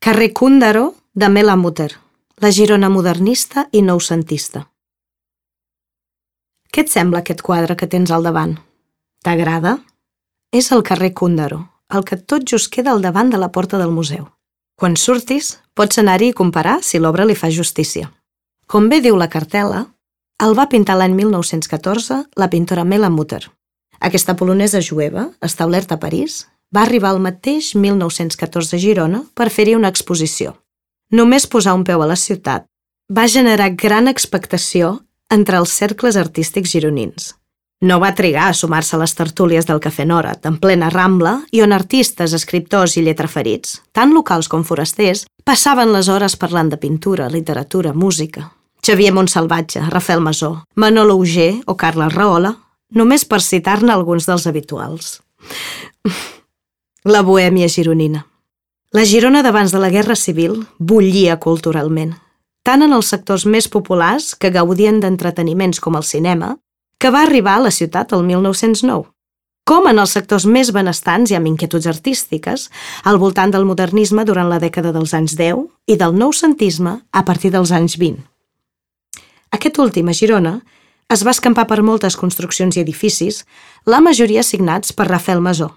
Carrer Cúndaro de Mela Mutter, la Girona modernista i noucentista. Què et sembla aquest quadre que tens al davant? T'agrada? És el carrer Cúndaro, el que tot just queda al davant de la porta del museu. Quan surtis, pots anar-hi i comparar si l'obra li fa justícia. Com bé diu la cartel·la, el va pintar l'any 1914 la pintora Mela Mutter. Aquesta polonesa jueva, establerta a París, va arribar al mateix 1914 a Girona per fer-hi una exposició. Només posar un peu a la ciutat va generar gran expectació entre els cercles artístics gironins. No va trigar a sumar-se a les tertúlies del Cafè Norat, en plena Rambla, i on artistes, escriptors i lletraferits, tant locals com forasters, passaven les hores parlant de pintura, literatura, música. Xavier Montsalvatge, Rafael Masó, Manolo Auger o Carles Rahola, només per citar-ne alguns dels habituals. La bohèmia gironina. La Girona d'abans de la Guerra Civil bullia culturalment, tant en els sectors més populars que gaudien d'entreteniments com el cinema, que va arribar a la ciutat el 1909, com en els sectors més benestants i amb inquietuds artístiques al voltant del modernisme durant la dècada dels anys 10 i del noucentisme a partir dels anys 20. Aquest últim, a Girona, es va escampar per moltes construccions i edificis, la majoria signats per Rafael Masó.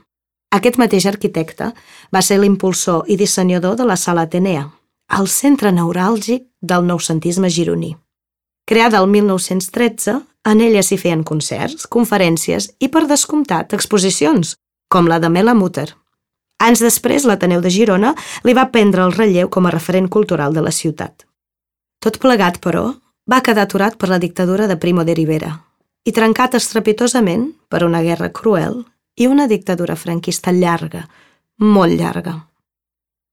Aquest mateix arquitecte va ser l'impulsor i dissenyador de la Sala Atenea, el centre neuràlgic del noucentisme gironí. Creada el 1913, en ella s'hi feien concerts, conferències i, per descomptat, exposicions, com la de Mela Mutter. Anys després, l'Ateneu de Girona li va prendre el relleu com a referent cultural de la ciutat. Tot plegat, però, va quedar aturat per la dictadura de Primo de Rivera i trencat estrepitosament per una guerra cruel i una dictadura franquista llarga, molt llarga.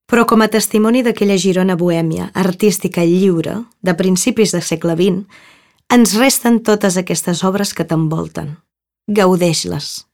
Però com a testimoni d'aquella Girona bohèmia, artística i lliure, de principis del segle XX, ens resten totes aquestes obres que t'envolten. Gaudeix-les.